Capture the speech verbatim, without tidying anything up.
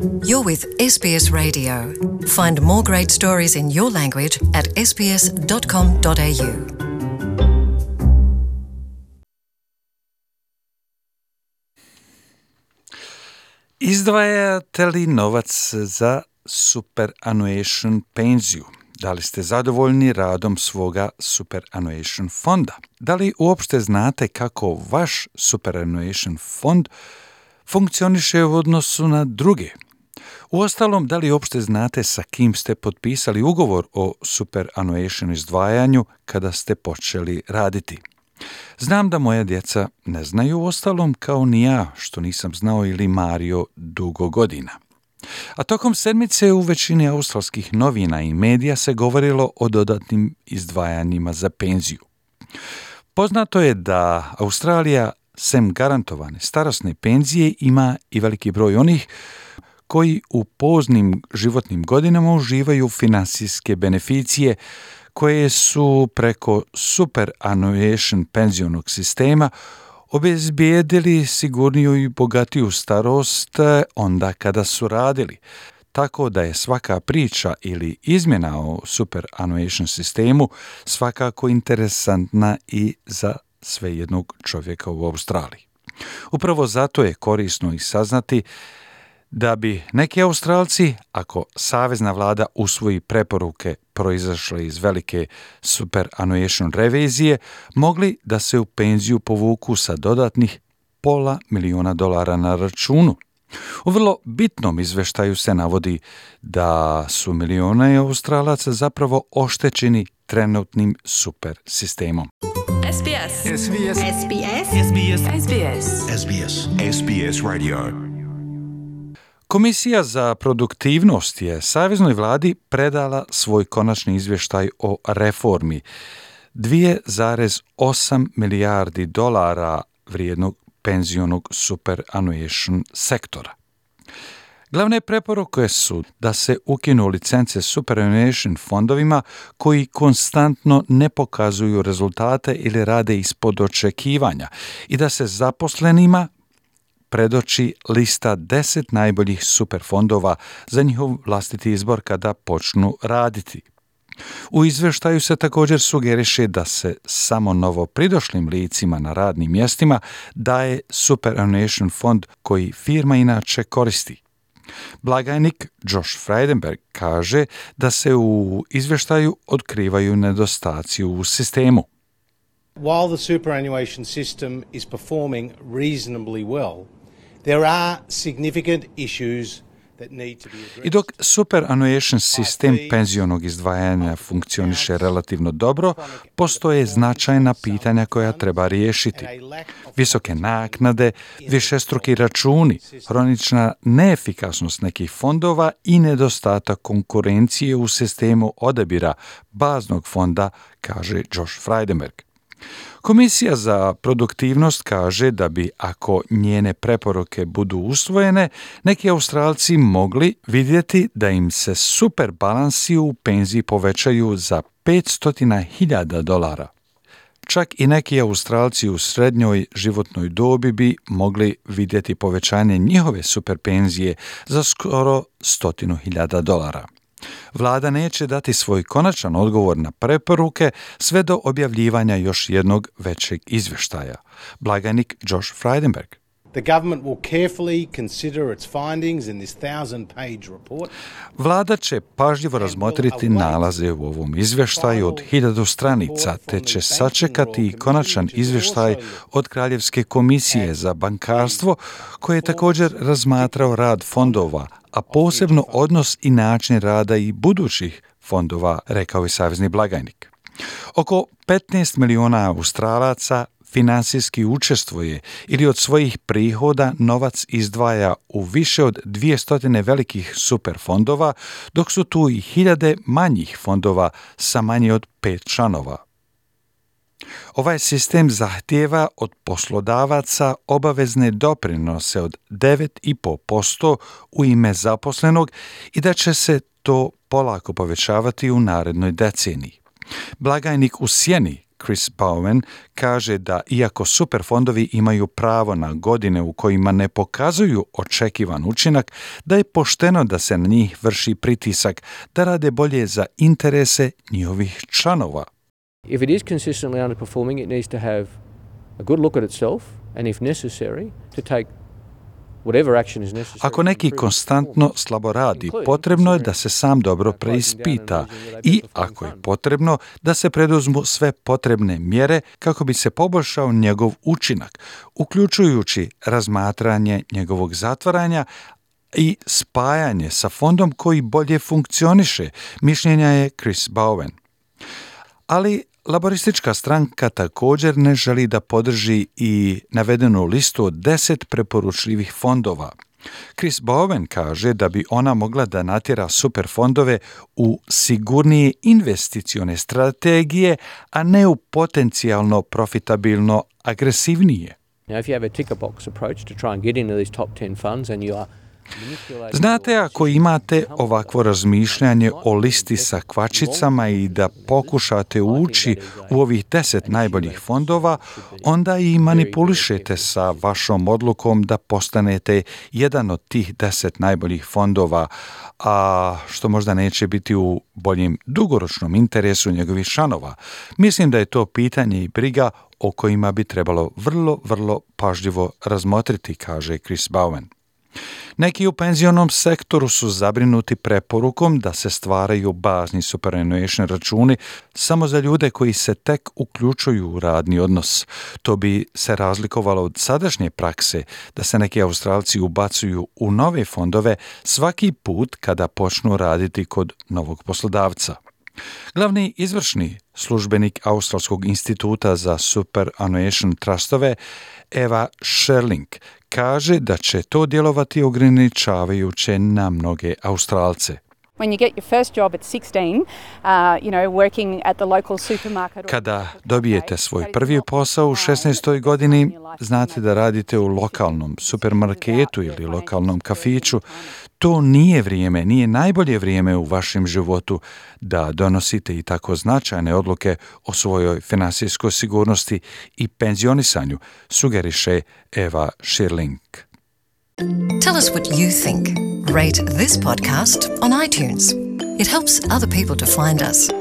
You're with S B S Radio. Find more great stories in your language at s b s dot com dot a u. Izdvajate li novac za superannuation penziju? Da li ste zadovoljni radom svoga superannuation fonda? Da li uopšte znate kako vaš superannuation fond funkcioniše u odnosu na druge? Uostalom, da li uopšte znate sa kim ste potpisali ugovor o superannuation izdvajanju kada ste počeli raditi? Znam da moja djeca ne znaju, uostalom kao ni ja, što nisam znao ili Mario dugo godina. A tokom sedmice u većini australskih novina i medija se govorilo o dodatnim izdvajanjima za penziju. Poznato je da Australija, sem garantovane starosne penzije, ima i veliki broj onih koji u poznim životnim godinama uživaju finansijske beneficije koje su preko superannuation penzionog sistema obezbijedili sigurniju i bogatiju starost onda kada su radili. Tako da je svaka priča ili izmjena o superannuation sistemu svakako interesantna i za svejednog čovjeka u Australiji. Upravo zato je korisno i saznati da bi neki Australci, ako savezna vlada usvoji preporuke proizašle iz velike superannuation revizije, mogli da se u penziju povuku sa dodatnih pola miliona dolara na računu. U vrlo bitnom izveštaju se navodi da su milione Australaca zapravo oštećeni trenutnim super sistemom. S B S. S B S. S B S. S B S. S B S. S B S. S B S Radio. Komisija za produktivnost je saveznoj vladi predala svoj konačni izvještaj o reformi dvije zarez osam milijardi dolara vrijednog penzionog superannuation sektora. Glavne preporuke su da se ukinu licence superannuation fondovima koji konstantno ne pokazuju rezultate ili rade ispod očekivanja i da se zaposlenima predoči lista deset najboljih superfondova za njihov vlastiti izbor kada počnu raditi. U izvještaju se također sugeriše da se samo novo pridošlim licima na radnim mjestima daje superannuation fond koji firma inače koristi. Blagajnik Josh Frydenberg kaže da se u izvještaju otkrivaju nedostaci u sistemu. While the superannuation system is performing reasonably well, there are significant issues that need to be addressed. I dok superannuation sistem penzionog izdvajanja funkcioniše relativno dobro, postoje značajna pitanja koja treba riješiti. Visoke naknade, višestruki računi, hronična neefikasnost nekih fondova i nedostatak konkurencije u sistemu odabira baznog fonda, kaže Josh Frydenberg. Komisija za produktivnost kaže da bi, ako njene preporuke budu usvojene, neki Australci mogli vidjeti da im se super balansi u penziji povećaju za petsto hiljada dolara. Čak i neki Australci u srednjoj životnoj dobi bi mogli vidjeti povećanje njihove super penzije za skoro stotinu hiljada dolara. Vlada neće dati svoj konačan odgovor na preporuke sve do objavljivanja još jednog većeg izvještaja. Blagajnik Josh Frydenberg. The government will carefully consider its findings in this thousand-page report. Vlada će pažljivo razmotriti nalaze u ovom izvještaju od hiljadu stranica, te će sačekati i konačan izvještaj od Kraljevske komisije za bankarstvo, koje je također razmatrao rad fondova, a posebno odnos i način rada i budućih fondova, rekao je savezni blagajnik. Oko petnaest miliona Australaca finansijski učestvuje ili od svojih prihoda novac izdvaja u više od dvjesto velikih superfondova, dok su tu i hiljade manjih fondova sa manje od pet članova. Ovaj sistem zahtijeva od poslodavaca obavezne doprinose od devet zarez pet posto u ime zaposlenog i da će se to polako povećavati u narednoj deceniji. Blagajnik u sjeni Chris Bowen kaže da iako superfondovi imaju pravo na godine u kojima ne pokazuju očekivan učinak, da je pošteno da se na njih vrši pritisak da rade bolje za interese njihovih članova. If it is consistently underperforming, it needs to have a good look at itself and if necessary to take whatever action is necessary. Ako neki konstantno slabo radi, potrebno je da se sam dobro preispita i, ako je potrebno, da se preduzmu sve potrebne mjere kako bi se poboljšao njegov učinak, uključujući razmatranje njegovog zatvaranja i spajanje sa fondom koji bolje funkcioniše, mišljenja je Chris Bowen. Ali Laboristička stranka također ne želi da podrži i navedenu listu od deset preporučljivih fondova. Chris Bowen kaže da bi ona mogla da natjera superfondove u sigurnije investicione strategije, a ne u potencijalno profitabilno agresivnije. Now, if you have a ticker box approach to try and get into these top ten funds and you are Znate, ako imate ovakvo razmišljanje o listi sa kvačicama i da pokušate ući u ovih deset najboljih fondova, onda i manipulišete sa vašom odlukom da postanete jedan od tih deset najboljih fondova, a što možda neće biti u boljem dugoročnom interesu njegovih članova. Mislim da je to pitanje i briga o kojima bi trebalo vrlo, vrlo pažljivo razmotriti, kaže Chris Bowen. Neki u penzionom sektoru su zabrinuti preporukom da se stvaraju bazni superannuation računi samo za ljude koji se tek uključuju u radni odnos. To bi se razlikovalo od sadašnje prakse da se neki Australci ubacuju u nove fondove svaki put kada počnu raditi kod novog poslodavca. Glavni izvršni službenik Australskog instituta za superannuation trustove Eva Sherling kaže da će to djelovati ograničavajuće na mnoge Australce. When you get your first job at sixteen, uh, you know, working at the local supermarket. Kada dobijete svoj prvi posao u šesnaestoj godini, znate da radite u lokalnom supermarketu ili lokalnom kafiću, to nije vrijeme, nije najbolje vrijeme u vašem životu da donosite i tako značajne odluke o svojoj finansijskoj sigurnosti i penzionisanju, sugeriše Eva Sherling. Tell us what you think. Rate this podcast on iTunes. It helps other people to find us.